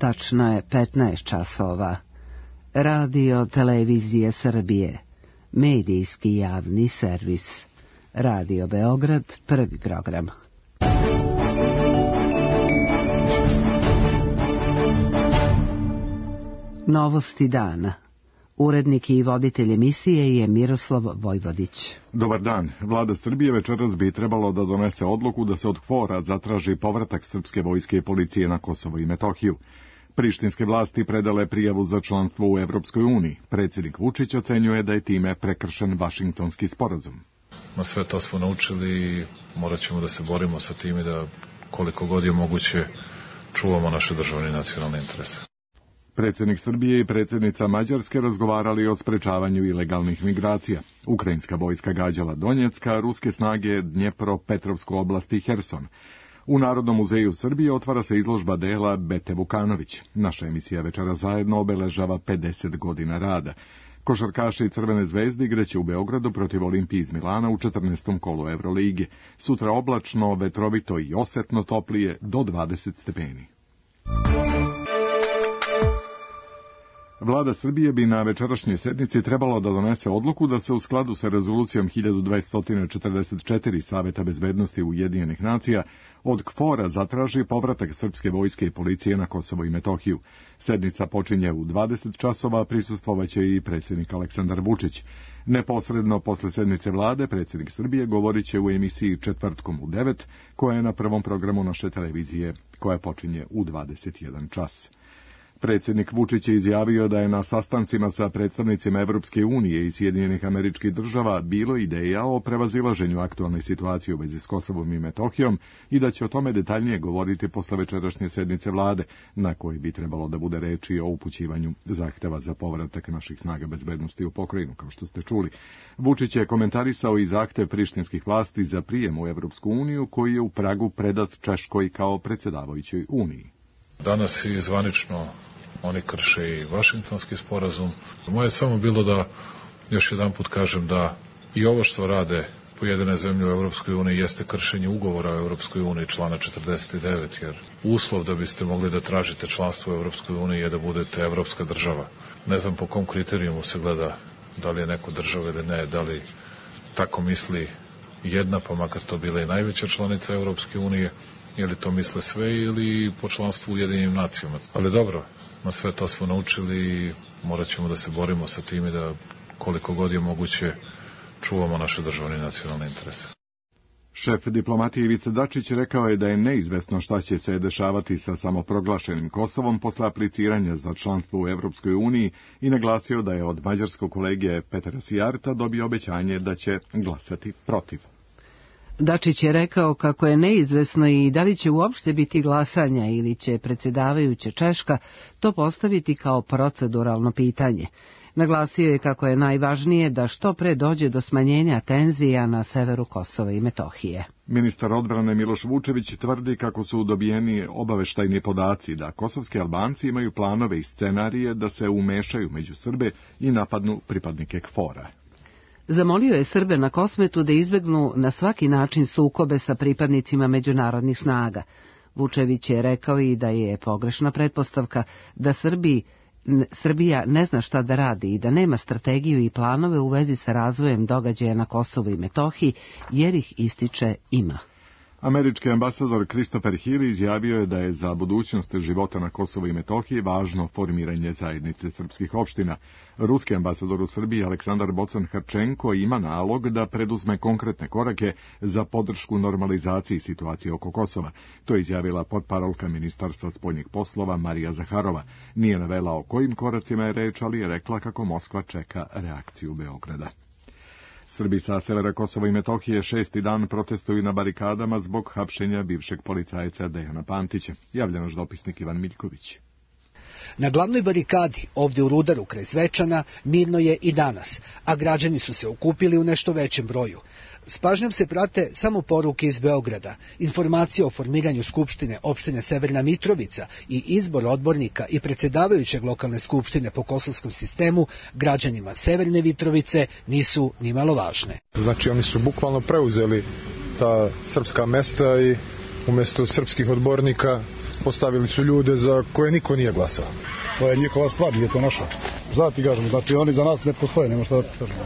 Tačno je 15 časova. Radio Televizije Srbije. Medijski javni servis. Radio Beograd, prvi program. Novosti dana. Urednik i voditelj emisije je Miroslav Vojvodić. Dobar dan. Vlada Srbije večeras bi trebalo da donese odluku da se od KFOR-a zatraži povratak srpske vojske i policije na Kosovo i Metohiju. Prištinske vlasti predale prijavu za članstvo u Evropskoj uniji. Predsjednik Vučić ocenjuje da je time prekršen Vašingtonski sporazum. Na sve to smo naučili i morat ćemo da se borimo sa tim i da koliko god je moguće čuvamo naše državne i nacionalne interese. Predsjednik Srbije i predsjednica Mađarske razgovarali o sprečavanju ilegalnih migracija. Ukrajinska vojska gađala Donjecka, ruske snage Dnjepro-Petrovsku oblast i Herson. U Narodnom muzeju Srbije otvara se izložba dela Bete Vukanović. Naša emisija Večera zajedno obeležava 50 godina rada. Košarkaši Crvene zvezde igraće u Beogradu protiv Olimpije iz Milana u 14. kolu Evrolige. Sutra oblačno, vetrovito i osetno toplije do 20 stepeni. Vlada Srbije bi na večerašnjoj sednici trebalo da donese odluku da se u skladu sa rezolucijom 1244 Saveta bezbednosti Ujedinjenih nacija od KFOR-a zatraži povratak srpske vojske i policije na Kosovo i Metohiju. Sednica počinje u 20 časova, prisustvovaće i predsjednik Aleksandar Vučić. Neposredno posle sednice vlade, predsjednik Srbije govorit će u emisiji Četvrtkom u 9, koja je na prvom programu naše televizije, koja počinje u 21 čas. Predsjednik Vučić je izjavio da je na sastancima sa predstavnicima Evropske unije i Sjedinjenih Američkih Država bilo ideja o prevazilaženju aktualne situacije u vezi s Kosovom i Metohijom i da će o tome detaljnije govoriti posle večerašnje sednice vlade, na kojoj bi trebalo da bude reči o upućivanju zahteva za povratak naših snaga bezbednosti u pokrajinu, kao što ste čuli. Vučić je komentarisao i zahtev prištinskih vlasti za prijem u Evropsku uniju, koji je u Pragu predat Češkoj kao predsjedavajućoj uniji. Danas i zvanično oni krše i Vašingtonski sporazum. Moje je samo bilo da još jedan put kažem da i ovo što rade pojedine zemlje u Evropskoj uniji jeste kršenje ugovora o Evropskoj uniji člana 49, jer uslov da biste mogli da tražite članstvo u Evropskoj uniji je da budete evropska država. Ne znam po kom kriterijumu se gleda da li je neko država ili ne, da li tako misli jedna, pa makar to bila i najveća članica Evropske unije, ili to misle sve ili po članstvu u Ujedinjenim nacijama. Ali dobro, na sve to smo naučili i morat ćemo da se borimo sa tim i da koliko god je moguće čuvamo naše državne i nacionalne interese. Šef diplomatije Ivica Dačić rekao je da je neizvesno šta će se dešavati sa samoproglašenim Kosovom posle apliciranja za članstvo u Evropskoj uniji i naglasio da je od mađarskog kolege Petera Sijarta dobio obećanje da će glasati protiv. Dačić je rekao kako je neizvesno i da li će uopšte biti glasanja ili će predsjedavajuća Češka to postaviti kao proceduralno pitanje. Naglasio je kako je najvažnije da što pre dođe do smanjenja tenzija na severu Kosova i Metohije. Ministar odbrane Miloš Vučević tvrdi kako su dobijeni obaveštajni podaci da kosovski Albanci imaju planove i scenarije da se umešaju među Srbe i napadnu pripadnike KFOR-a. Zamolio je Srbe na Kosmetu da izbegnu na svaki način sukobe sa pripadnicima međunarodnih snaga. Vučević je rekao i da je pogrešna pretpostavka da Srbija ne zna šta da radi i da nema strategiju i planove u vezi sa razvojem događaja na Kosovu i Metohiji, jer ih ističe ima. Američki ambasador Christopher Hill izjavio je da je za budućnost života na Kosovu i Metohiji važno formiranje zajednice srpskih opština. Ruski ambasador u Srbiji Aleksandar Bocan-Harčenko ima nalog da preduzme konkretne korake za podršku normalizaciji situacije oko Kosova. To je izjavila potparolka Ministarstva spoljnih poslova Marija Zaharova. Nije navela o kojim koracima je reč, ali je rekla kako Moskva čeka reakciju Beograda. Srbi sa severa Kosova i Metohije 6. dan protestuju na barikadama zbog hapšenja bivšeg policajca Dejana Pantića. Javlja naš dopisnik Ivan Miljković. Na glavnoj barikadi, ovdje u Rudaru kraj Zvečana, mirno je i danas, a građani su se okupili u nešto većem broju. S pažnjom se prate samo poruke iz Beograda, informacije o formiranju Skupštine opštine Severna Mitrovica i izbor odbornika i predsjedavajućeg lokalne skupštine po kosovskom sistemu građanima Severne Mitrovice nisu nimalo važne. Znači oni su bukvalno preuzeli ta srpska mesta i Umesto srpskih odbornika postavili su ljude za koje niko nije glasao. To je njihova stvar, nije to naša. Zati kažemo, znači oni za nas ne postoje, nema šta da kažemo.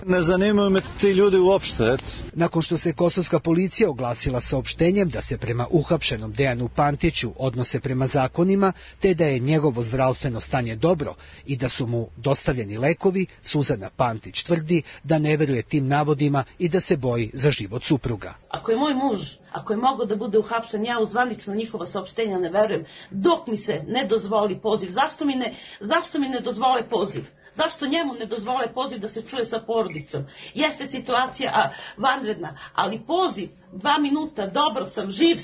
Ne zanimaju me ti ljudi uopšte. Nakon što se kosovska policija oglasila saopštenjem da se prema uhapšenom Dejanu Pantiću odnose prema zakonima, te da je njegovo zdravstveno stanje dobro i da su mu dostavljeni lekovi, Suzana Pantić tvrdi da ne veruje tim navodima i da se boji za život supruga. Ako je moj muž, ako je mogao da bude uhapšen, ja u zvanično njihova saopštenja ne verujem, dok mi se ne dozvoli poziv. Zašto mi ne dozvole poziv? Zašto njemu ne dozvole poziv da se čuje sa porodicom? Jeste situacija vanredna, ali poziv, 2 minuta, dobro sam, živ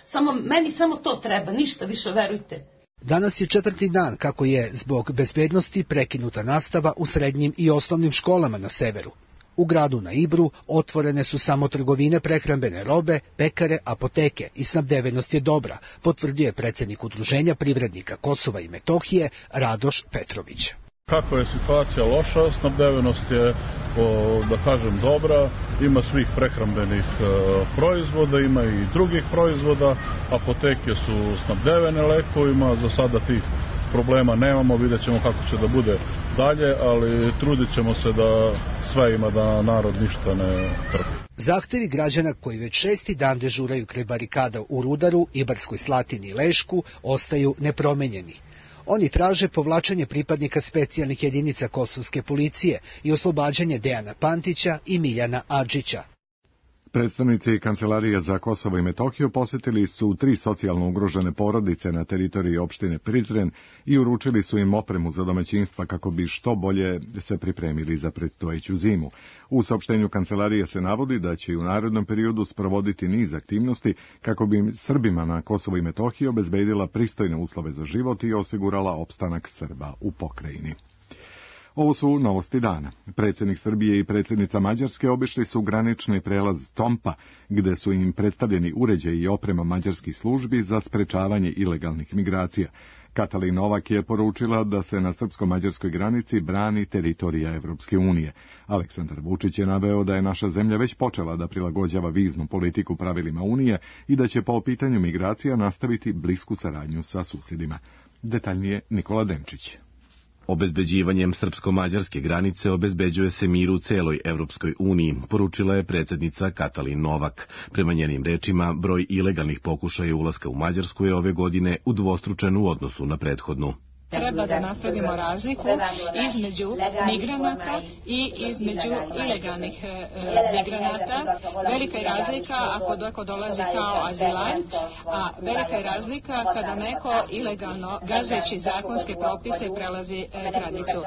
sam, meni samo to treba, ništa više, verujte. Danas je 4. dan kako je zbog bezbednosti prekinuta nastava u srednjim i osnovnim školama na severu. U gradu na Ibru otvorene su samo trgovine prehrambene robe, pekare, apoteke i snabdevenost je dobra, potvrdio je predsjednik Udruženja privrednika Kosova i Metohije Radoš Petrović. Kako je situacija loša, snabdevenost je, da kažem, dobra, ima svih prehrambenih proizvoda, ima i drugih proizvoda, apoteke su snabdevene lekovima, za sada tih problema nemamo, vidjet ćemo kako će da bude dalje, ali trudit ćemo se da sve ima, da narod ništa ne trpi. Zahtevi građana koji već 6. dan dežuraju kraj barikada u Rudaru, Ibarskoj Slatini i Lešku ostaju nepromenjeni. Oni traže povlačenje pripadnika specijalnih jedinica kosovske policije i oslobađanje Dejana Pantića i Miljana Adžića. Predstavnici Kancelarije za Kosovo i Metohiju posjetili su 3 socijalno ugrožene porodice na teritoriji opštine Prizren i uručili su im opremu za domaćinstva kako bi što bolje se pripremili za predstojeću zimu. U saopštenju Kancelarije se navodi da će u narednom periodu sprovoditi niz aktivnosti kako bi Srbima na Kosovo i Metohiji obezbedila pristojne uslove za život i osigurala opstanak Srba u pokrajini. Ovo su novosti dana. Predsjednik Srbije i predsjednica Mađarske obišli su granični prelaz Tompa, gde su im predstavljeni uređaji i oprema mađarskih službi za sprečavanje ilegalnih migracija. Katalin Novak je poručila da se na srpsko-mađarskoj granici brani teritorija Evropske unije. Aleksandar Vučić je naveo da je naša zemlja već počela da prilagođava viznu politiku pravilima Unije i da će po pitanju migracija nastaviti blisku saradnju sa susjedima. Detaljnije Nikola Denčić. Obezbeđivanjem srpsko-mađarske granice obezbeđuje se mir u celoj Evropskoj uniji, poručila je predsjednica Katalin Novak. Prema njenim rečima, broj ilegalnih pokušaja ulaska u Mađarsku je ove godine udvostručen u odnosu na prethodnu. Treba da napravimo razliku između migranata i između ilegalnih migranata. Velika je razlika ako neko dolazi kao azilant, a velika je razlika kada neko ilegalno, gazeći zakonske propise, prelazi granicu.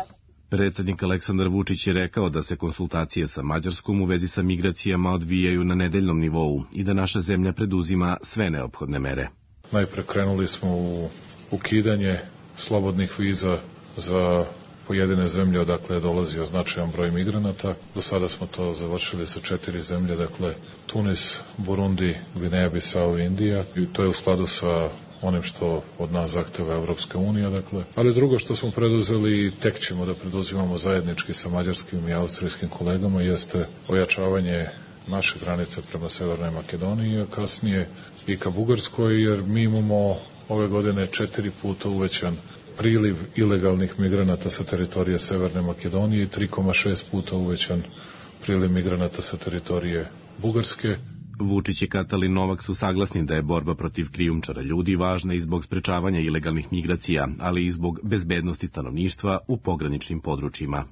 Predsjednik Aleksandar Vučić je rekao da se konsultacije sa Mađarskom u vezi sa migracijama odvijaju na nedeljnom nivou i da naša zemlja preduzima sve neophodne mere. Najpre krenuli smo u ukidanje slobodnih viza za pojedine zemlje odakle je dolazio značajan broj migranata. Do sada smo to završili sa 4 zemlje, dakle Tunis, Burundi, Gvineja, Bisao i Indija. I to je u skladu sa onim što od nas zahteva Evropska unija, dakle. Ali drugo što smo preduzeli i tek ćemo da preduzimamo zajednički sa mađarskim i austrijskim kolegama jeste ojačavanje naše granice prema Severnoj Makedoniji, a kasnije i ka Bugarskoj, jer mi imamo ove godine 4 puta uvećan priliv ilegalnih migranata sa teritorije Severne Makedonije i 3,6 puta uvećan priliv migranata sa teritorije Bugarske. Vučić i Katalin Novak su saglasni da je borba protiv krijumčara ljudi važna i zbog sprečavanja ilegalnih migracija, ali i zbog bezbednosti stanovništva u pograničnim područjima.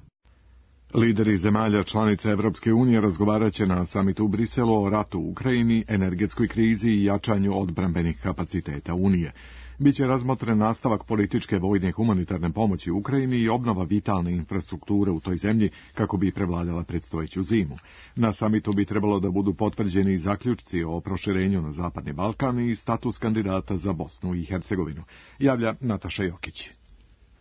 Lideri zemalja članica Evropske unije razgovarat će na samitu u Briselu o ratu u Ukrajini, energetskoj krizi i jačanju odbrambenih kapaciteta Unije. Biće razmotren nastavak političke, vojne i humanitarne pomoći Ukrajini i obnova vitalne infrastrukture u toj zemlji kako bi prevladala predstojeću zimu. Na samitu bi trebalo da budu potvrđeni zaključci o proširenju na Zapadni Balkan i status kandidata za Bosnu i Hercegovinu, javlja Nataša Jokić.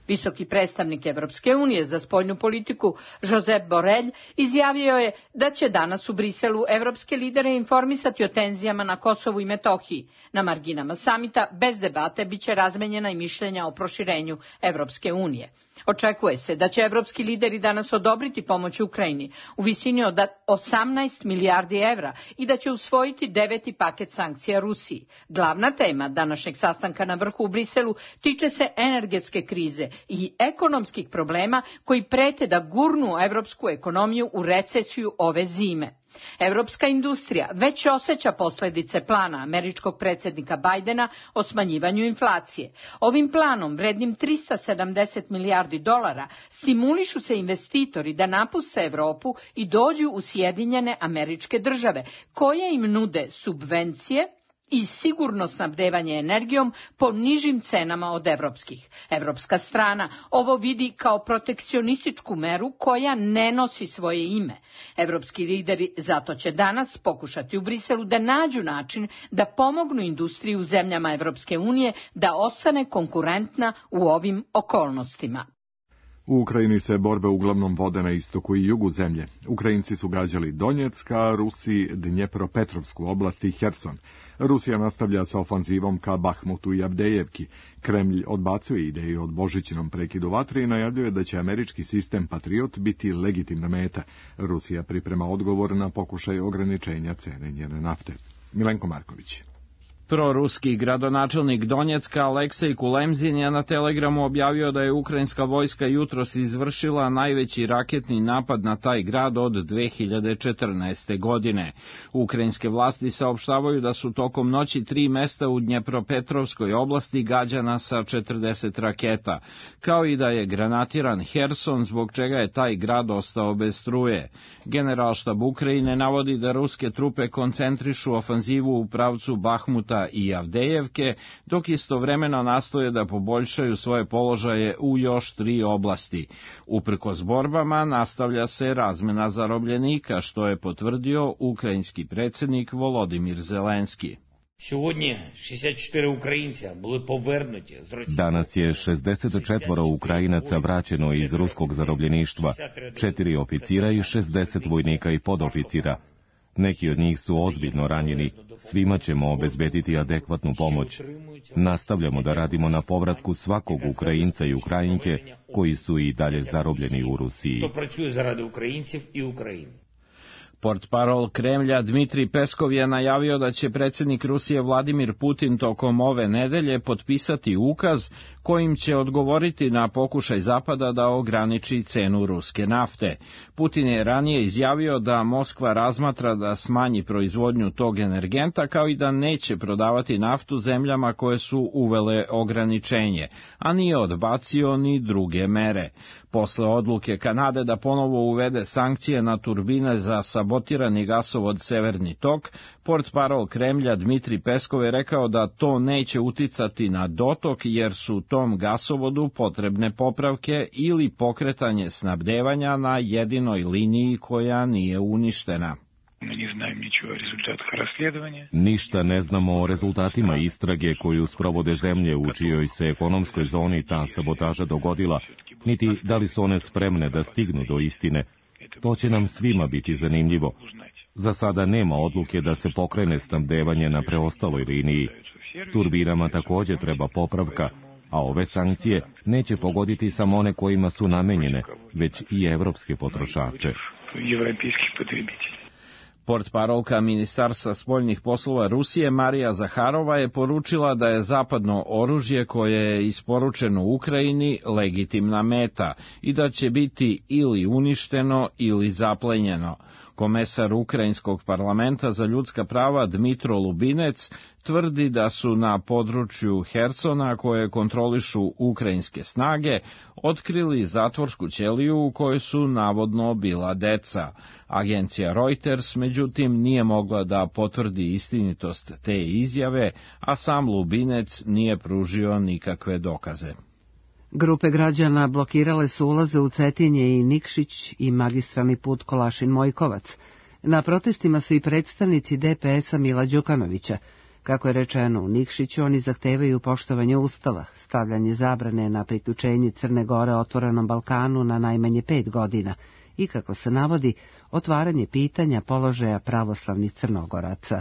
Visoki predstavnik Evropske unije za spoljnu politiku Josep Borrell izjavio je da će danas u Briselu evropske lidere informisati o tenzijama na Kosovu i Metohiji. Na marginama samita bez debate biće razmenjena i mišljenja o proširenju Evropske unije. Očekuje se da će evropski lideri danas odobriti pomoć Ukrajini u visini od 18 milijardi evra i da će usvojiti 9. paket sankcija Rusiji. Glavna tema današnjeg sastanka na vrhu u Briselu tiče se energetske krize i ekonomskih problema koji prete da gurnu evropsku ekonomiju u recesiju ove zime. Evropska industrija već osjeća posljedice plana američkog predsjednika Bajdena o smanjivanju inflacije. Ovim planom, vrednim 370 milijardi dolara, stimulišu se investitori da napuste Europu i dođu u Sjedinjene Američke Države, koje im nude subvencije i sigurno snabdevanje energijom po nižim cenama od evropskih. Evropska strana ovo vidi kao protekcionističku meru koja ne nosi svoje ime. Evropski lideri zato će danas pokušati u Briselu da nađu način da pomognu industriji u zemljama Evropske unije da ostane konkurentna u ovim okolnostima. U Ukrajini se borbe uglavnom vode na istoku i jugu zemlje. Ukrajinci su gađali Donjeck, a Rusi Dnjepropetrovsku oblast i Herson. Rusija nastavlja sa ofanzivom ka Bahmutu i Avdejevki. Kremlj odbacuje ideju od božićnom prekidu vatre i najavljuje da će američki sistem Patriot biti legitimna meta. Rusija priprema odgovor na pokušaj ograničenja cene njene nafte. Milenko Marković. Proruski gradonačelnik Donjecka Aleksej Kulemzin je na Telegramu objavio da je ukrajinska vojska jutros izvršila najveći raketni napad na taj grad od 2014. godine. Ukrajinske vlasti saopštavaju da su tokom noći 3 mesta u Dnjepropetrovskoj oblasti gađana sa 40 raketa, kao i da je granatiran Herson, zbog čega je taj grad ostao bez struje. Generalštab Ukrajine navodi da ruske trupe koncentrišu ofanzivu u pravcu Bahmuta i Avdejevke, dok istovremeno nastoje da poboljšaju svoje položaje u još 3 oblasti. Uprkos borbama nastavlja se razmena zarobljenika, što je potvrdio ukrajinski predsjednik Volodimir Zelenski. Danas je 64 Ukrajinaca vraćeno iz ruskog zarobljeništva, 4 oficira i 60 vojnika i podoficira. Neki od njih su ozbiljno ranjeni. Svima ćemo obezbediti adekvatnu pomoć. Nastavljamo da radimo na povratku svakog Ukrajinca i Ukrajinke koji su i dalje zarobljeni u Rusiji. Portparol Kremlja Dmitrij Peskov je najavio da će predsjednik Rusije Vladimir Putin tokom ove nedelje potpisati ukaz kojim će odgovoriti na pokušaj Zapada da ograniči cenu ruske nafte. Putin je ranije izjavio da Moskva razmatra da smanji proizvodnju tog energenta, kao i da neće prodavati naftu zemljama koje su uvele ograničenje, a nije odbacio ni druge mere. Posle odluke Kanade da ponovo uvede sankcije na turbine za sabotirani gasovod Severni tok, portparol Kremlja Dmitrij Peskov je rekao da to neće uticati na dotok jer su tom gasovodu potrebne popravke ili pokretanje snabdevanja na jedinoj liniji koja nije uništena. Ništa ne znamo o rezultatima istrage koju sprovode zemlje u čijoj se ekonomskoj zoni ta sabotaža dogodila, niti da li su one spremne da stignu do istine. To će nam svima biti zanimljivo. Za sada nema odluke da se pokrene snabdevanje na preostaloj liniji. Turbinama također treba popravka, a ove sankcije neće pogoditi samo one kojima su namenjene, već i evropske potrošače. Portparolka Ministarstva spoljnih poslova Rusije Marija Zaharova je poručila da je zapadno oružje koje je isporučeno Ukrajini legitimna meta i da će biti ili uništeno ili zaplenjeno. Komesar Ukrajinskog parlamenta za ljudska prava Dmitro Lubinec tvrdi da su na području Hersona, koje kontrolišu ukrajinske snage, otkrili zatvorsku ćeliju u kojoj su navodno bila deca. Agencija Reuters, međutim, nije mogla da potvrdi istinitost te izjave, a sam Lubinec nije pružio nikakve dokaze. Grupe građana blokirale su ulaze u Cetinje i Nikšić i magistralni put Kolašin-Mojkovac. Na protestima su i predstavnici DPS-a Mila Đukanovića. Kako je rečeno u Nikšiću, oni zahtevaju poštovanje Ustava, stavljanje zabrane na priključenje Crne Gore otvorenom Balkanu na najmanje 5 godina i, kako se navodi, otvaranje pitanja položaja pravoslavnih Crnogoraca.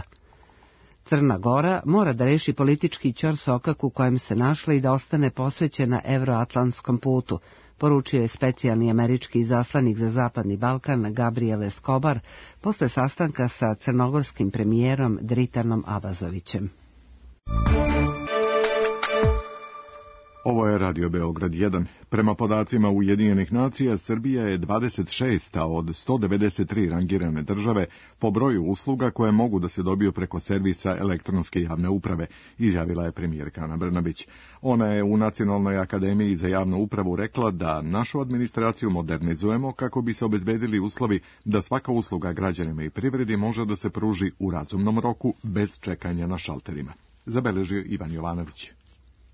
Crna Gora mora da reši politički ćorsokak u kojem se našla i da ostane posvećena evroatlantskom putu, poručio je specijalni američki izaslanik za Zapadni Balkan Gabriel Escobar posle sastanka sa crnogorskim premijerom Dritanom Abazovićem. Ovo je Radio Beograd 1. Prema podacima Ujedinjenih nacija, Srbija je 26. od 193 rangirane države po broju usluga koje mogu da se dobiju preko servisa elektronske javne uprave, izjavila je premijerka Ana Brnabić. Ona je u Nacionalnoj akademiji za javnu upravu rekla da našu administraciju modernizujemo kako bi se obezbedili uslovi da svaka usluga građanima i privredi može da se pruži u razumnom roku bez čekanja na šalterima. Zabeležio Ivan Jovanović.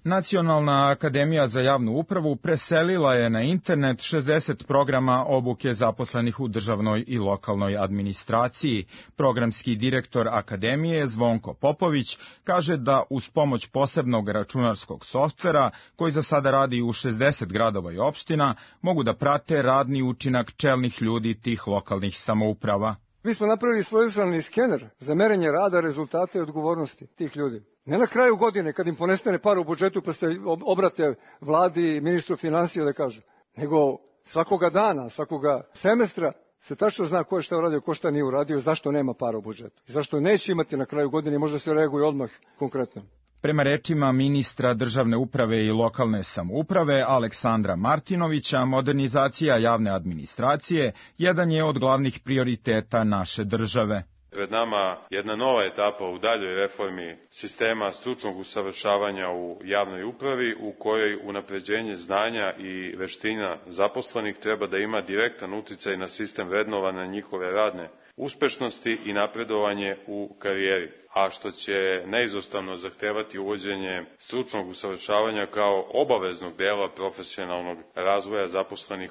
Nacionalna akademija za javnu upravu preselila je na internet 60 programa obuke zaposlenih u državnoj i lokalnoj administraciji. Programski direktor akademije Zvonko Popović kaže da uz pomoć posebnog računarskog softvera, koji za sada radi u 60 gradova i opština, mogu da prate radni učinak čelnih ljudi tih lokalnih samouprava. Mi smo napravili svojevrsni skener za merenje rada, rezultate i odgovornosti tih ljudi. Ne na kraju godine kad im ponestane para u budžetu pa se obrate vladi i ministru finansija da kažu, nego svakoga dana, svakoga semestra se tačno zna ko je šta uradio, ko šta nije uradio, zašto nema para u budžetu. I zašto neće imati na kraju godine, možda se reaguje odmah konkretno. Prema rečima ministra državne uprave i lokalne samouprave Aleksandra Martinovića, modernizacija javne administracije jedan je od glavnih prioriteta naše države. Pred nama jedna nova etapa u daljoj reformi sistema stručnog usavršavanja u javnoj upravi, u kojoj unapređenje znanja i veština zaposlenih treba da ima direktan uticaj na sistem vrednovanja njihove radne uspešnosti i napredovanje u karijeri, a što će neizostavno zahtevati uvođenje stručnog usavršavanja kao obaveznog dela profesionalnog razvoja zaposlenih.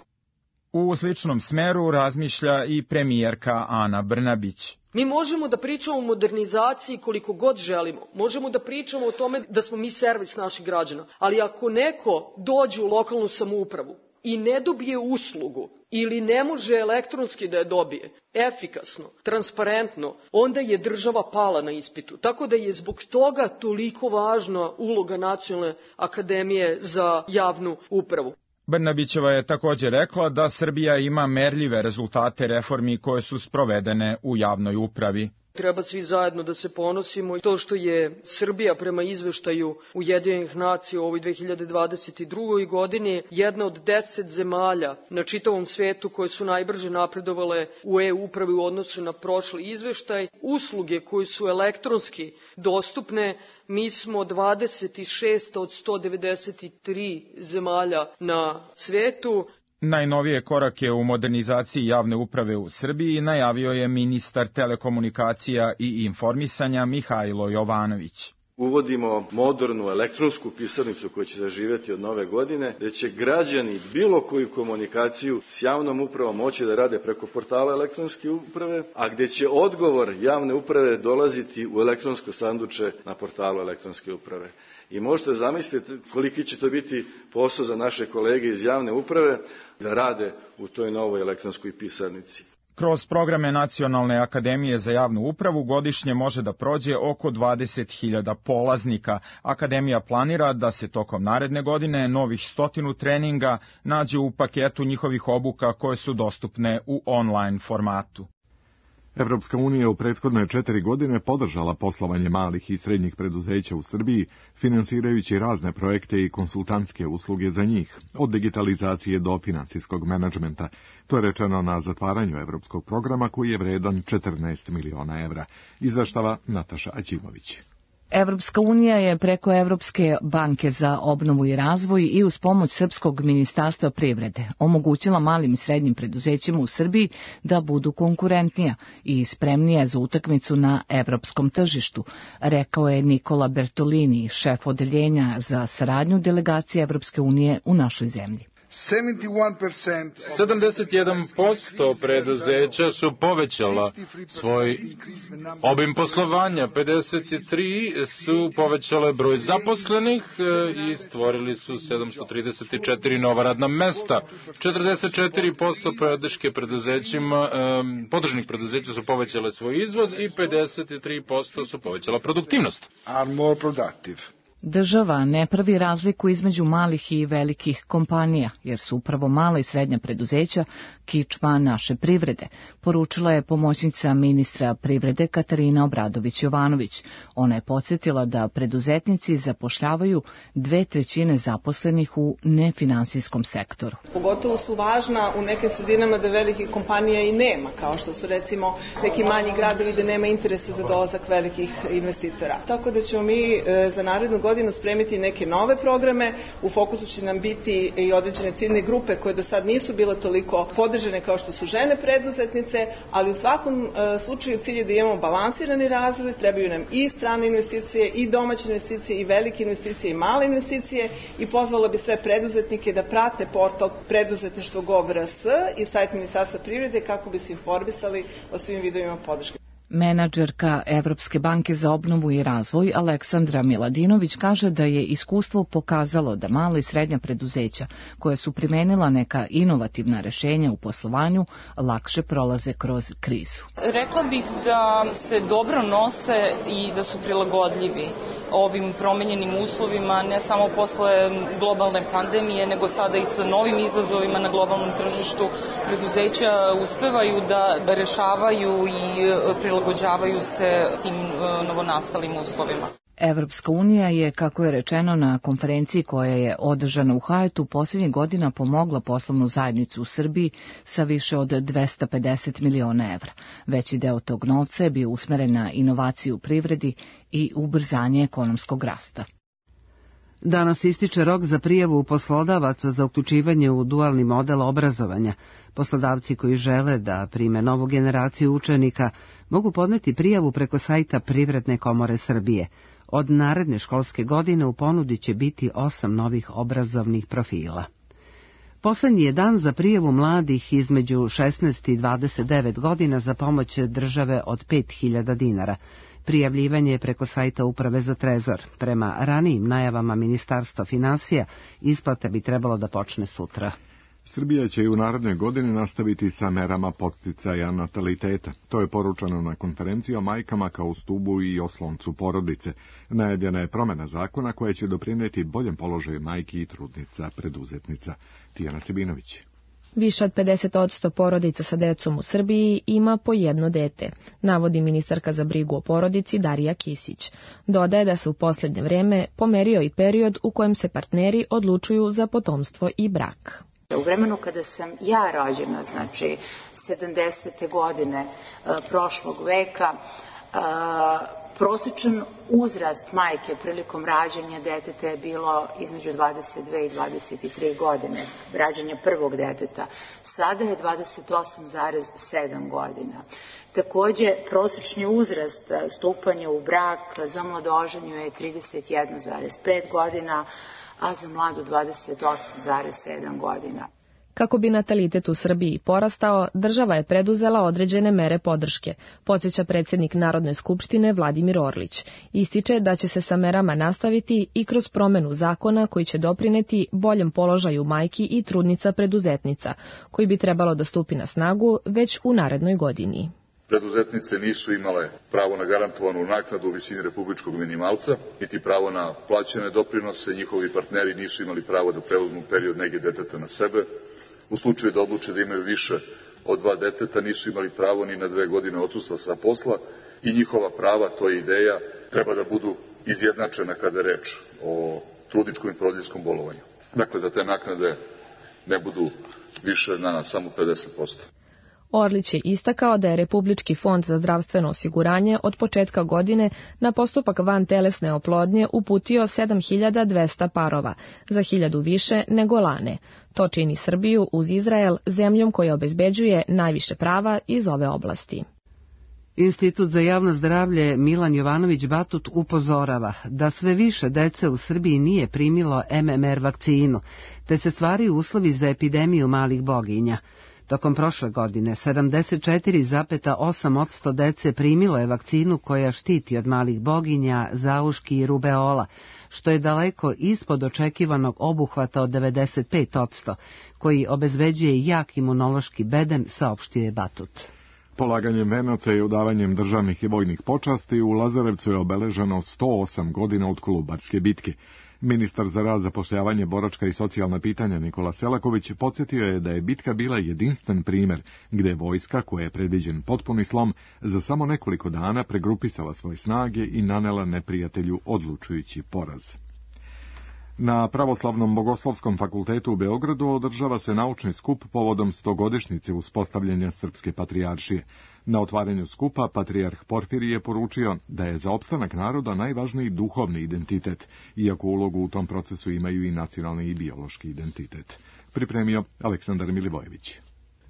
U sličnom smeru razmišlja i premijerka Ana Brnabić. Mi možemo da pričamo o modernizaciji koliko god želimo, možemo da pričamo o tome da smo mi servis naših građana, ali ako neko dođe u lokalnu samoupravu i ne dobije uslugu ili ne može elektronski da je dobije, efikasno, transparentno, onda je država pala na ispitu. Tako da je zbog toga toliko važna uloga Nacionalne akademije za javnu upravu. Brnabićeva je također rekla da Srbija ima merljive rezultate reformi koje su sprovedene u javnoj upravi. Treba svi zajedno da se ponosimo i to što je Srbija prema izveštaju Ujedinjenih nacija u ovoj 2022. godini jedna od 10 zemalja na čitavom svetu koje su najbrže napredovale u e-upravi u odnosu na prošli izveštaj. Usluge koje su elektronski dostupne, mi smo 26 od 193 zemalja na svetu. Najnovije korake u modernizaciji javne uprave u Srbiji najavio je ministar telekomunikacija i informisanja Mihajlo Jovanović. Uvodimo modernu elektronsku pisarnicu koja će zaživjeti od nove godine, gde će građani bilo koju komunikaciju s javnom upravom moći da rade preko portala elektronske uprave, a gde će odgovor javne uprave dolaziti u elektronsko sanduče na portalu elektronske uprave. I možete zamisliti koliki će to biti posao za naše kolege iz javne uprave da rade u toj novoj elektronskoj pisarnici. Kroz programe Nacionalne akademije za javnu upravu godišnje može da prođe oko 20.000 polaznika. Akademija planira da se tokom naredne godine novih 100 treninga nađe u paketu njihovih obuka koje su dostupne u online formatu. Evropska unija u prethodne 4 godine podržala poslovanje malih i srednjih preduzeća u Srbiji, finansirajući razne projekte i konsultantske usluge za njih, od digitalizacije do finansijskog menadžmenta. To je rečeno na zatvaranju evropskog programa koji je vredan 14 miliona evra. Izveštava Nataša Aćimović. Evropska unija je preko Evropske banke za obnovu i razvoj i uz pomoć Srpskog ministarstva privrede omogućila malim i srednjim preduzećima u Srbiji da budu konkurentnija i spremnija za utakmicu na evropskom tržištu, rekao je Nikola Bertolini, šef odeljenja za saradnju delegacije Evropske unije u našoj zemlji. 71% preduzeća su povećala svoj obim poslovanja, 53 su povećale broj zaposlenih i stvorili su 734 nova radna mesta. 44% podržnih preduzeća su povećale svoj izvoz i 53% su povećala produktivnost. Država ne pravi razliku između malih i velikih kompanija, jer su upravo mala i srednja preduzeća kičma naše privrede, poručila je pomoćnica ministra privrede Katarina Obradović-Jovanović. Ona je podsjetila da preduzetnici zapošljavaju 2/3 zaposlenih u nefinansijskom sektoru. Pogotovo su važna u nekim sredinama da velikih kompanija i nema, kao što su recimo neki manji gradovi gde nema interesa za dolazak velikih investitora. Tako da ćemo mi za narednu godinu spremiti neke nove programe, u fokusu će nam biti i određene ciljne grupe koje do sad nisu bile toliko podržane kao što su žene preduzetnice, ali u svakom slučaju cilj je da imamo balansirani razvoj, trebaju nam i strane investicije, i domaće investicije, i velike investicije, i male investicije, i pozvala bi sve preduzetnike da prate portal preduzetništvo.gov.rs i sajt Ministarstva privrede kako bi se informisali o svim vidovima podrške. Menadžerka Evropske banke za obnovu i razvoj Aleksandra Miladinović kaže da je iskustvo pokazalo da mala i srednja preduzeća koja su primenila neka inovativna rešenja u poslovanju lakše prolaze kroz krizu. Rekla bih da se dobro nose i da su prilagodljivi ovim promenjenim uslovima, ne samo posle globalne pandemije, nego sada i sa novim izazovima na globalnom tržištu. Preduzeća uspevaju da rešavaju i prilagođavaju se tim novonastalim uslovima. Evropska unija je, kako je rečeno na konferenciji koja je održana u Hajetu, posljednjih godina pomogla poslovnu zajednicu u Srbiji sa više od 250 miliona evra. Veći deo tog novca je bio usmeren na inovaciju u privredi i ubrzanje ekonomskog rasta. Danas ističe rok za prijavu poslodavaca za uključivanje u dualni model obrazovanja. Poslodavci koji žele da prime novu generaciju učenika mogu podneti prijavu preko sajta Privredne komore Srbije. Od naredne školske godine u ponudi će biti 8 novih obrazovnih profila. Poslednji je dan za prijavu mladih između 16 i 29 godina za pomoć države od 5.000 dinara. Prijavljivanje je preko sajta Uprave za trezor. Prema ranijim najavama Ministarstva finansija, isplata bi trebalo da počne sutra. Srbija će i u narednoj godini nastaviti sa merama podsticaja nataliteta. To je poručeno na konferenciji o majkama kao stubu i osloncu porodice. Najavljena je promena zakona koja će doprineti boljem položaju majki i trudnica preduzetnica. Tijana Sebinović. Više od 50% porodica sa decom u Srbiji ima po jedno dete, navodi ministarka za brigu o porodici Darija Kisić. Dodaje da se u posljednje vreme pomerio i period u kojem se partneri odlučuju za potomstvo i brak. U vremenu kada sam ja rođena, znači 70. godine prošlog veka, prosječan uzrast majke prilikom rađanja deteta je bilo između 22 i 23 godine, rađanja prvog deteta. Sada je 28,7 godina. Takođe, prosječni uzrast stupanja u brak za mladoženju je 31,5 godina, a za mladu 28,7 godina. Kako bi natalitet u Srbiji porastao, država je preduzela određene mere podrške, podsjeća predsjednik Narodne skupštine Vladimir Orlić. Ističe da će se sa merama nastaviti i kroz promenu zakona koji će doprineti boljem položaju majki i trudnica preduzetnica, koji bi trebalo da stupi na snagu već u narednoj godini. Preduzetnice nisu imale pravo na garantovanu naknadu u visini republičkog minimalca, niti pravo na plaćene doprinose, njihovi partneri nisu imali pravo da preuzmu period nege deteta na sebe. U slučaju da odluče da imaju više od 2 deteta, nisu imali pravo ni na 2 godine odsustva sa posla i njihova prava, to je ideja, treba da budu izjednačena kada je reč o trudničkom i porodiljskom bolovanju. Dakle, da te naknade ne budu više na samo 50%. Orlić je istakao da je Republički fond za zdravstveno osiguranje od početka godine na postupak vantelesne oplodnje uputio 7.200 parova, za 1.000 više nego lane. To čini Srbiju uz Izrael zemljom koja obezbeđuje najviše prava iz ove oblasti. Institut za javno zdravlje Milan Jovanović Batut upozorava da sve više dece u Srbiji nije primilo MMR vakcinu, te se stvaraju uslovi za epidemiju malih boginja. Tokom prošle godine 74,8% dece primilo je vakcinu koja štiti od malih boginja, zauški i rubeola, što je daleko ispod očekivanog obuhvata od 95%, koji obezbeđuje jak imunološki bedem, saopštio je Batut. Polaganjem venaca i udavanjem državnih i vojnih počasti u Lazarevcu je obeleženo 108 godina od Kolubarske bitke. Ministar za rad, zapošljavanje, boračka i socijalna pitanja Nikola Selaković podsjetio je da je bitka bila jedinstven primer, gde je vojska, koja je predviđen potpuni slom, za samo nekoliko dana pregrupisala svoje snage i nanela neprijatelju odlučujući poraz. Na Pravoslavnom bogoslovskom fakultetu u Beogradu održava se naučni skup povodom 100-godišnjice uspostavljanja Srpske patrijaršije. Na otvaranju skupa patrijarh Porfirije je poručio da je za opstanak naroda najvažniji duhovni identitet, iako ulogu u tom procesu imaju i nacionalni i biološki identitet. Pripremio Aleksandar Milivojević.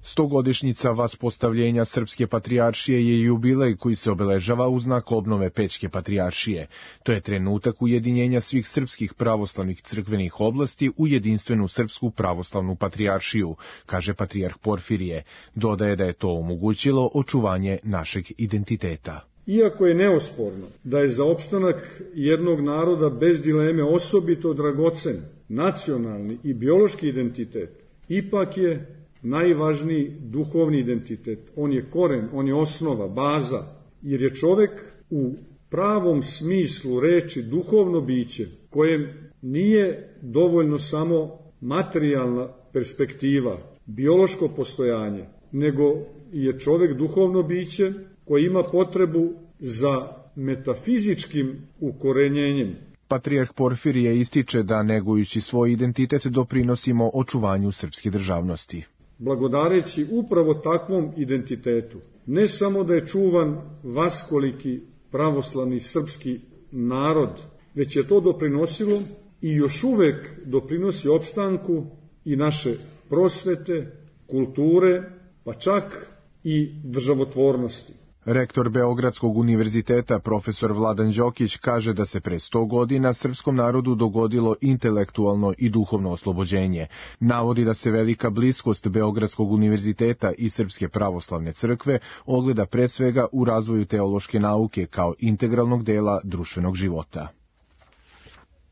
100-godišnjica vaspostavljenja Srpske patrijaršije je jubilej koji se obeležava u znak obnove Pećke patrijaršije. To je trenutak ujedinjenja svih srpskih pravoslavnih crkvenih oblasti u jedinstvenu Srpsku pravoslavnu patrijaršiju, kaže patrijarh Porfirije. Dodaje da je to omogućilo očuvanje našeg identiteta. Iako je neosporno da je za opstanak jednog naroda bez dileme osobito dragocen nacionalni i biološki identitet, ipak je najvažniji duhovni identitet. On je koren, on je osnova, baza, jer je čovek u pravom smislu reči duhovno biće, kojem nije dovoljno samo materijalna perspektiva, biološko postojanje, nego je čovek duhovno biće koji ima potrebu za metafizičkim ukorenjenjem. Patrijarh Porfirije ističe da negujući svoj identitet doprinosimo očuvanju srpske državnosti. Blagodareći upravo takvom identitetu, ne samo da je čuvan vaskoliki pravoslavni srpski narod, već je to doprinosilo i još uvek doprinosi opstanku i naše prosvete, kulture, pa čak i državotvornosti. Rektor Beogradskog univerziteta profesor Vladan Đokić kaže da se pre 100 godina srpskom narodu dogodilo intelektualno i duhovno oslobođenje. Navodi da se velika bliskost Beogradskog univerziteta i Srpske pravoslavne crkve ogleda pre svega u razvoju teološke nauke kao integralnog dela društvenog života.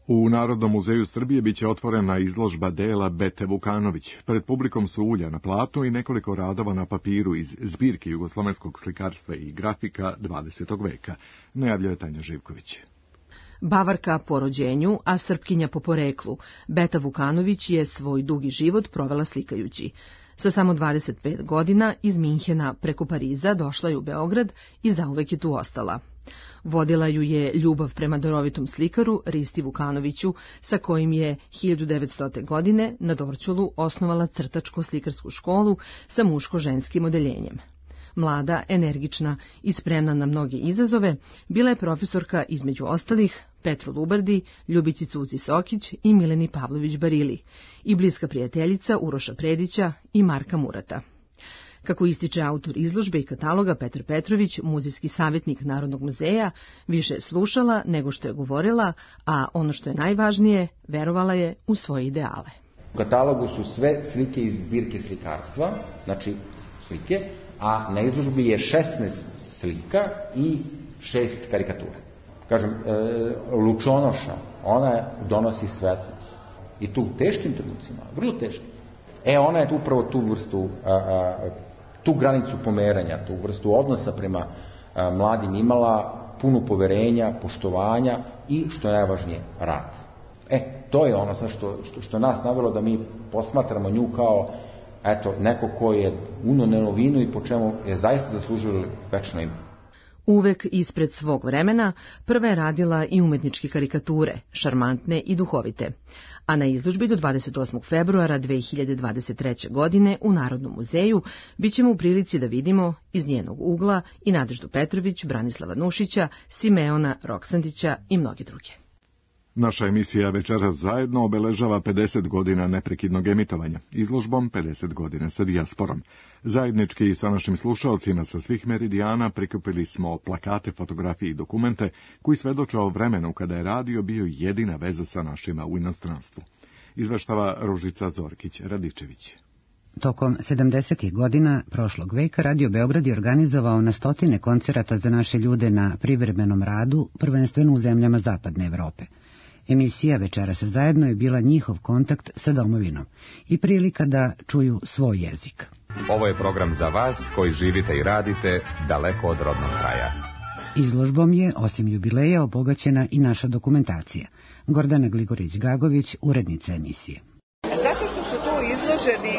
U Narodnom muzeju Srbije biće otvorena izložba dela Bete Vukanović. Pred publikom su ulja na platnu i nekoliko radova na papiru iz zbirke jugoslovenskog slikarstva i grafika 20. veka, najavljuje Tanja Živković. Bavarka po rođenju, a Srpkinja po poreklu, Beta Vukanović je svoj dugi život provela slikajući. Sa samo 25 godina iz Minhena preko Pariza došla je u Beograd i zauvek je tu ostala. Vodila ju je ljubav prema darovitom slikaru Risti Vukanoviću, sa kojim je 1900. godine na Dorćolu osnovala crtačko-slikarsku školu sa muško-ženskim odeljenjem. Mlada, energična i spremna na mnoge izazove, bila je profesorka između ostalih Petru Lubardi, Ljubici Cuci Sokić i Mileni Pavlović Barili i bliska prijateljica Uroša Predića i Marka Murata. Kako ističe autor izložbe i kataloga Petar Petrović, muzejski savjetnik Narodnog muzeja, više je slušala nego što je govorila, a ono što je najvažnije, verovala je u svoje ideale. U katalogu su sve slike iz zbirke slikarstva, znači slike, a na izložbi je 16 slika i 6 karikatura. Kažem, Lučonoša, ona donosi svetlo. I tu u teškim trenucima, vrlo teškim. Ona je upravo tu vrstu, tu granicu pomeranja, tu vrstu odnosa prema mladim imala, puno poverenja, poštovanja i, što je najvažnije, rad. To je ono što nas navelo da mi posmatramo nju kao neko ko je uneo novinu i po čemu je zaista zaslužilo večno ime. Uvek ispred svog vremena, prva je radila i umetničke karikature, šarmantne i duhovite. A na izložbi do 28. februara 2023. godine u Narodnom muzeju bit ćemo u prilici da vidimo iz njenog ugla i Nadeždu Petrović, Branislava Nušića, Simeona Roksandića i mnogi druge. Naša emisija Večeras zajedno obeležava 50 godina neprekidnog emitovanja, izložbom 50 godina sa dijasporom. Zajednički sa našim slušalcima sa svih meridijana prikupili smo plakate, fotografije i dokumente koji svedoče o vremenu kada je radio bio jedina veza sa našima u inostranstvu. Izveštava Ružica Zorkić-Radičević. Tokom 70. godina prošlog veka Radio Beograd je organizovao na stotine koncerata za naše ljude na privremenom radu, prvenstveno u zemljama Zapadne Evrope. Emisija Večeras zajedno je bila njihov kontakt sa domovinom i prilika da čuju svoj jezik. Ovo je program za vas koji živite i radite daleko od rodnog kraja. Izložbom je, osim jubileja, obogaćena i naša dokumentacija. Gordana Gligorić-Gagović, urednica emisije. Zato što su tu izloženi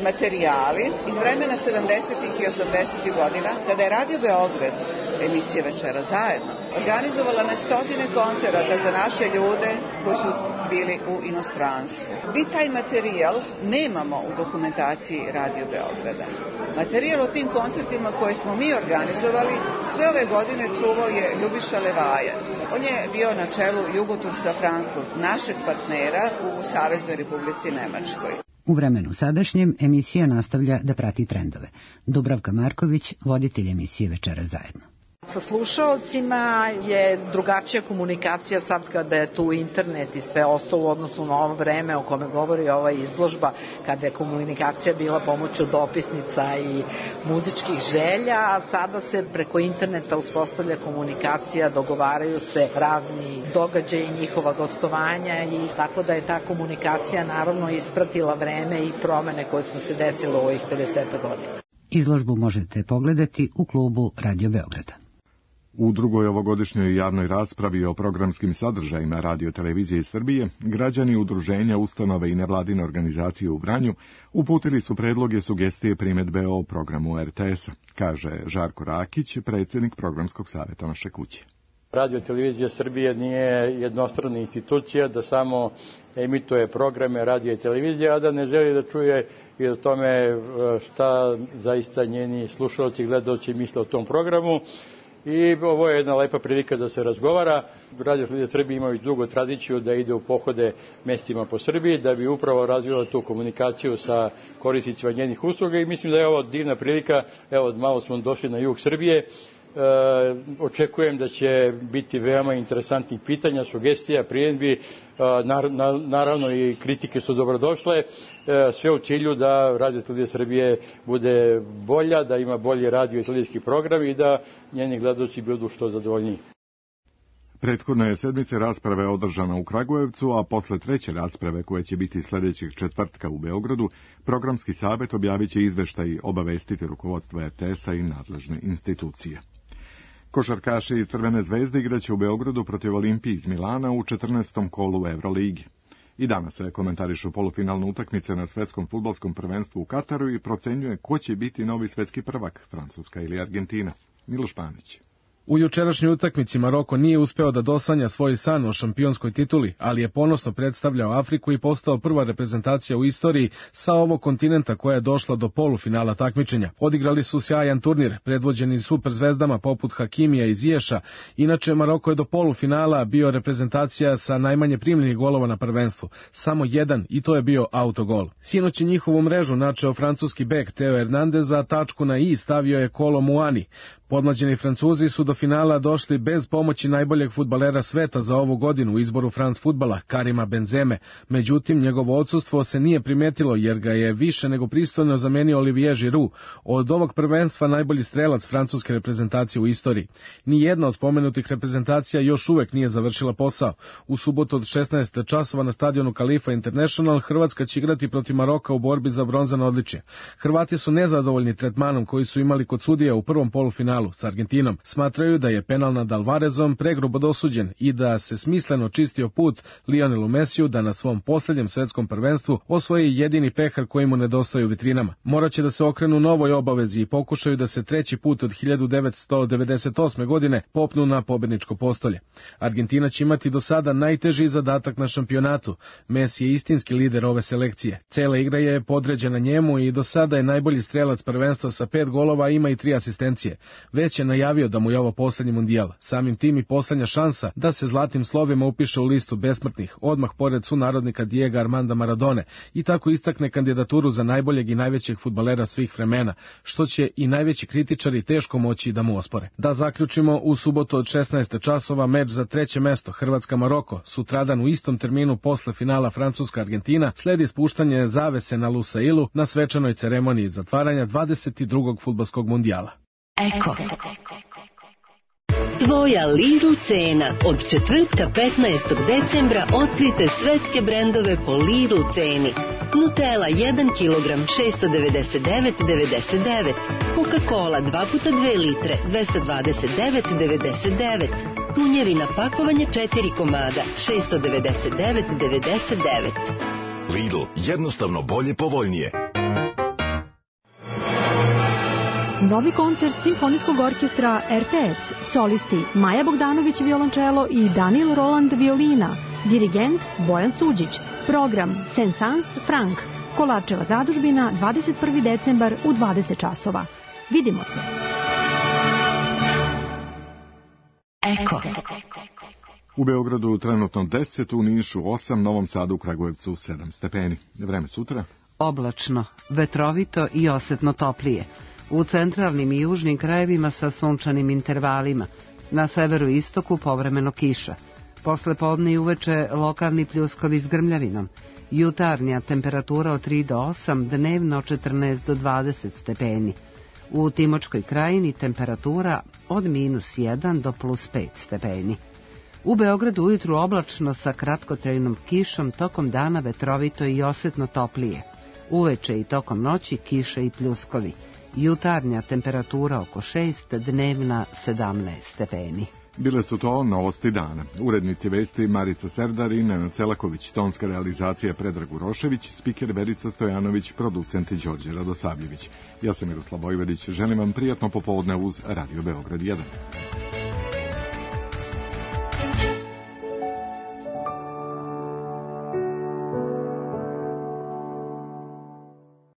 materijali iz vremena 70. i 80. godina, kada je Radio Beograd, emisija Večera zajedno, organizovala na stotine koncerata za naše ljude koji su bili u inostranstvu. Mi taj materijal nemamo u dokumentaciji Radio Beograda. Materijal o tim koncertima koje smo mi organizovali sve ove godine čuvao je Ljubiša Levajac. On je bio na čelu Jugotursa Frankfurt, našeg partnera u Saveznoj Republici Nemačkoj. U vremenu sadašnjem emisija nastavlja da prati trendove. Dubravka Marković, voditelj emisije Večera zajedno. Sa slušaocima je drugačija komunikacija sad kada je tu internet i sve ostalo u odnosu na ovo vreme o kome govori ova izložba, kada je komunikacija bila pomoću dopisnica i muzičkih želja, a sada se preko interneta uspostavlja komunikacija, dogovaraju se razni događaji, njihova gostovanja i tako da je ta komunikacija naravno ispratila vreme i promene koje su se desile u ovih 50 godina. Izložbu možete pogledati u klubu Radio Beograda. U drugoj ovogodišnjoj javnoj raspravi o programskim sadržajima Radio televizije Srbije, građani udruženja, ustanove i nevladine organizacije u Vranju uputili su predloge, sugestije, primedbe o programu RTS-a, kaže Žarko Rakić, predsjednik programskog savjeta naše kuće. Radio televizija Srbije nije jednostrana institucija da samo emituje programe radija i televizije, a da ne želi da čuje i o tome šta zaista njeni slušalci i gledaoci misle o tom programu. I ovo je jedna lepa prilika da se razgovara. Radio televizija Srbije ima već dugo tradiciju da ide u pohode mestima po Srbiji, da bi upravo razvila tu komunikaciju sa korisnicima njenih usluga i mislim da je ovo divna prilika. Evo, malo smo došli na jug Srbije. Očekujem da će biti veoma interesantnih pitanja, sugestija, primjedbi, naravno i kritike su dobrodošle, sve u cilju da Radio televizija Srbije bude bolja, da ima bolji radio i televizijski program i da njeni gledaoci budu što zadovoljniji. Prethodna je sedmice rasprave održana u Kragujevcu, a posle treće rasprave, koje će biti sljedećeg četvrtka u Beogradu, programski savjet objavit će izveštaj, obavestiti rukovodstvo RTS-a i nadležne institucije. Košarkaši Crvene zvezde igraće u Beogradu protiv Olimpije iz Milana u 14. kolu Euroligi. I danas se komentarišu polufinalne utakmice na svetskom fudbalskom prvenstvu u Kataru i procenjuje ko će biti novi svetski prvak, Francuska ili Argentina. Miloš Panić. U jučerašnjoj utakmici Maroko nije uspeo da dosanja svoj san o šampionskoj tituli, ali je ponosno predstavljao Afriku i postao prva reprezentacija u istoriji sa ovog kontinenta koja je došla do polufinala takmičenja. Odigrali su sjajan turnir, predvođeni superzvezdama poput Hakimija i Ziješa. Inače, Maroko je do polufinala bio reprezentacija sa najmanje primljenih golova na prvenstvu. Samo jedan, i to je bio autogol. Sinoć je njihovu mrežu načeo francuski bek Teo Hernandez, a tačku na i stavio je Kolo Muani. Podmlađeni Francuzi su do finala došli bez pomoći najboljeg fudbalera sveta za ovu godinu u izboru France fudbala, Karima Benzeme. Međutim, njegovo odsustvo se nije primetilo jer ga je više nego pristojno zamenio Olivier Giroud, od ovog prvenstva najbolji strelac francuske reprezentacije u istoriji. Nijedna od spomenutih reprezentacija još uvek nije završila posao. U subotu od 16 časova na stadionu Khalifa International Hrvatska će igrati protiv Maroka u borbi za bronzano odličje. Hrvati su nezadovoljni tretmanom koji su imali kod sudija u prvom polufinalu s Argentinom. Smatraju da je penal nad Alvarezom pregrubo dosuđen i da se smisleno čistio put Lionelu Mesiju da na svom posljednjem svetskom prvenstvu osvoji jedini pehar koji mu nedostaje u vitrinama. Moraće da se okrenu novoj obavezi i pokušaju da se treći put od 1998. godine popnu na pobedničko postolje. Argentina će imati do sada najteži zadatak na šampionatu. Messi je istinski lider ove selekcije. Cela igra je podređena njemu i do sada je najbolji strelac prvenstva sa 5 golova, ima i 3 asistencije. već je najavio da mu je ovo poslednji mundijal, samim tim i poslednja šansa da se zlatnim slovima upiše u listu besmrtnih, odmah pored sunarodnika Diego Armanda Maradone, i tako istakne kandidaturu za najboljeg i najvećeg fudbalera svih vremena, što će i najveći kritičari teško moći da mu ospore. Da zaključimo, u subotu od 16 časova meč za treće mesto Hrvatska-Maroko, sutradan u istom terminu posle finala Francuska-Argentina, sledi spuštanje zavese na Lusailu na svečanoj ceremoniji zatvaranja 22. fudbalskog mundijala. Eko. Tvoja Lidl cena. Od četvrtka 15. decembra otkrite svetske brendove po Lidl ceni. Nutella 1 kg 699,99. Coca-Cola 2x2 litre 229,99. Tunjevina pakovanje 4 komada 699,99. Lidl, jednostavno bolje, povoljnije. Novi koncert Simfonijskog orkestra RTS, solisti Maja Bogdanović violončelo i Daniel Roland violina, dirigent Bojan Suđić, program Saint-Saëns Frank, Kolarčeva zadužbina, 21. decembar u 20 časova. Vidimo se. Eko. U Beogradu trenutno 10, u Nišu 8, Novom Sadu, u Kragujevcu 7 stepeni. Vreme sutra? Oblačno, vetrovito i osetno toplije. U centralnim i južnim krajevima sa sunčanim intervalima. Na severu i istoku povremeno kiša. Posle podne i uveče lokalni pljuskovi s grmljavinom. Jutarnja temperatura od 3 do 8, dnevno 14 do 20 stepeni. U Timočkoj krajini temperatura od -1 do +5 stepeni. U Beogradu ujutru oblačno sa kratkotrajnom kišom, tokom dana vetrovito i osetno toplije. Uveče i tokom noći kiša i pljuskovi. Jutarnja temperatura oko 6, dnevna 17 stepeni. Bile su to novosti dana. Urednici vesti Marica Serdar i Nenad Celaković, tonska realizacija Predrag Urošević, spiker Verica Stojanović, producent Đorđe Radosavljević. Ja sam Miroslav Vojvodić, želim vam prijatno popodne uz Radio Beograd 1.